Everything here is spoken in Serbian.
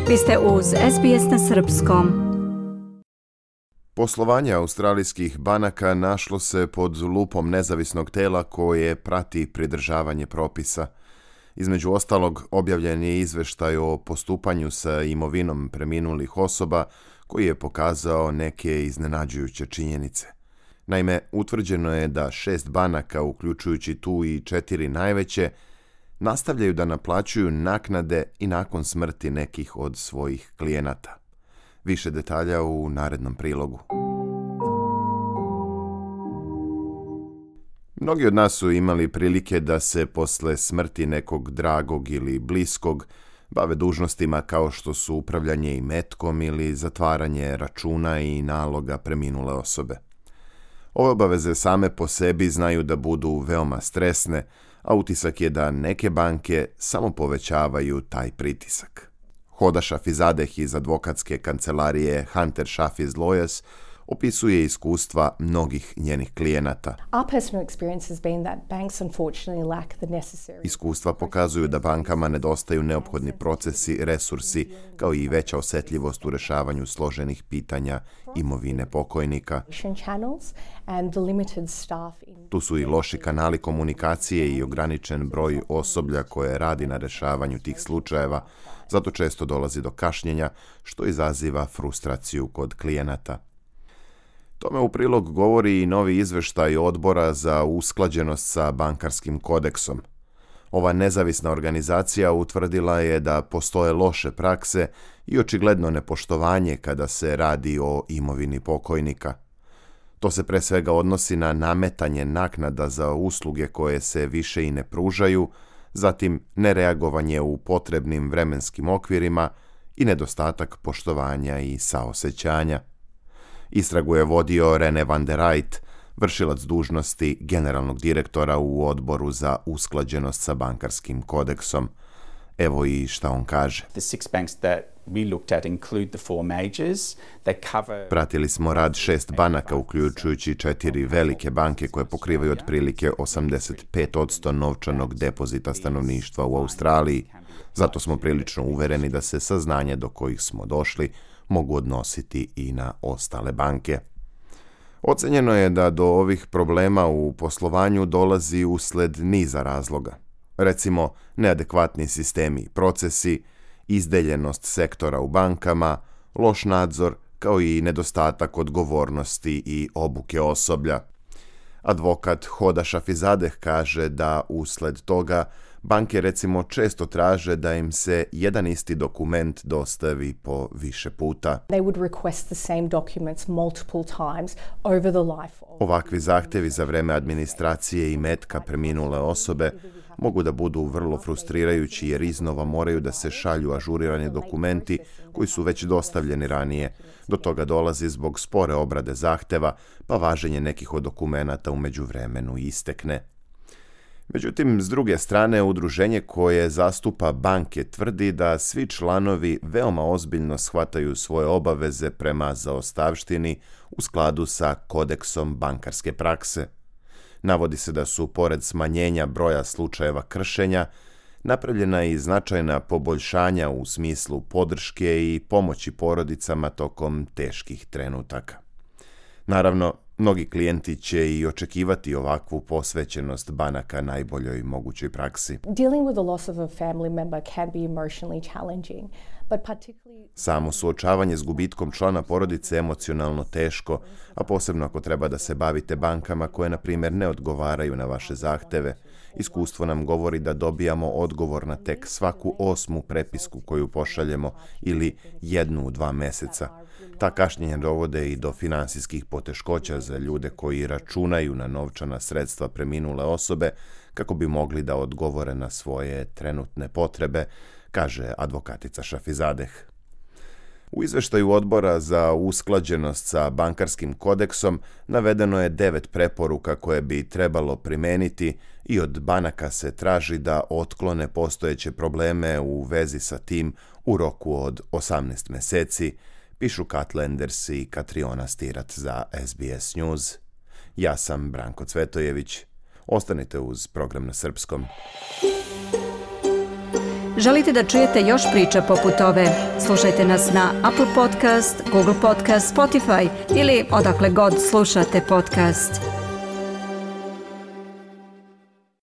Vi ste uz SBS na srpskom. Poslovanje australijskih banaka našlo se pod lupom nezavisnog tela koje prati pridržavanje propisa. Između ostalog, objavljen je izveštaj o postupanju sa imovinom preminulih osoba koji je pokazao neke iznenađujuće činjenice. Naime, utvrđeno je da 6 banaka, uključujući tu i 4 najveće, nastavljaju da naplaćuju naknade i nakon smrti nekih od svojih klijenata. Više detalja u narednom prilogu. Mnogi od nas su imali prilike da se posle smrti nekog dragog ili bliskog bave dužnostima kao što su upravljanje imetkom ili zatvaranje računa i naloga preminule osobe. Ove obaveze same po sebi znaju da budu veoma stresne, a utisak je da neke banke samo povećavaju taj pritisak. Hoda Šafizadeh iz advokatske kancelarije Hunter Shafiz Lawyers opisuje iskustva mnogih njenih klijenata. Iskustva pokazuju da bankama nedostaju neophodni procesi, resursi, kao i veća osjetljivost u rešavanju složenih pitanja imovine pokojnika. Tu su i loši kanali komunikacije i ograničen broj osoblja koje radi na rešavanju tih slučajeva, zato često dolazi do kašnjenja, što izaziva frustraciju kod klijenata. Tome u prilog govori i novi izveštaj Odbora za usklađenost sa bankarskim kodeksom. Ova nezavisna organizacija utvrdila je da postoje loše prakse i očigledno nepoštovanje kada se radi o imovini pokojnika. To se pre svega odnosi na nametanje naknada za usluge koje se više i ne pružaju, zatim nereagovanje u potrebnim vremenskim okvirima i nedostatak poštovanja i saosećanja. Istragu je vodio Rene van der Rijt, vršilac dužnosti generalnog direktora u Odboru za usklađenost sa bankarskim kodeksom. Evo i šta on kaže. Pratili smo rad 6 banaka, uključujući 4 velike banke koje pokrivaju otprilike 85% novčanog depozita stanovništva u Australiji. Zato smo prilično uvereni da se saznanja do kojih smo došli mogu odnositi i na ostale banke. Ocenjeno je da do ovih problema u poslovanju dolazi usled niza razloga. Recimo, neadekvatni sistemi i procesi, izdeljenost sektora u bankama, loš nadzor, kao i nedostatak odgovornosti i obuke osoblja. Advokat Hoda Šafizadeh kaže da usled toga banke recimo često traže da im se jedan isti dokument dostavi po više puta. Ovakvi zahtjevi za vreme administracije i metka preminule osobe mogu da budu vrlo frustrirajući jer iznova moraju da se šalju ažurirani dokumenti koji su već dostavljeni ranije. Do toga dolazi zbog spore obrade zahteva, pa važenje nekih od dokumenata u međuvremenu istekne. Međutim, s druge strane, udruženje koje zastupa banke tvrdi da svi članovi veoma ozbiljno shvataju svoje obaveze prema zaostavštini u skladu sa kodeksom bankarske prakse. Navodi se da su, pored smanjenja broja slučajeva kršenja, napravljena i značajna poboljšanja u smislu podrške i pomoći porodicama tokom teških trenutaka. Naravno, mnogi klijenti će i očekivati ovakvu posvećenost banaka najboljoj mogućoj praksi. Samo suočavanje s gubitkom člana porodice je emocionalno teško, a posebno ako treba da se bavite bankama koje, na primjer, ne odgovaraju na vaše zahteve. Iskustvo nam govori da dobijamo odgovor na tek svaku 8. prepisku koju pošaljemo ili 1 u 2 meseca. Ta kašnjenja dovode i do finansijskih poteškoća za ljude koji računaju na novčana sredstva preminule osobe kako bi mogli da odgovore na svoje trenutne potrebe, kaže advokatica Šafizadeh. U izveštaju Odbora za usklađenost sa bankarskim kodeksom navedeno je 9 preporuka koje bi trebalo primeniti i od banaka se traži da otklone postojeće probleme u vezi sa tim u roku od 18 meseci, pišu Kat Lenders i Katriona Stirat za SBS News. Ja sam Branko Cvetojević. Ostanite uz program na srpskom. Želite da čujete još priča poput ove? Slušajte nas na Apple Podcast, Google Podcast, Spotify ili odakle god slušate podcast.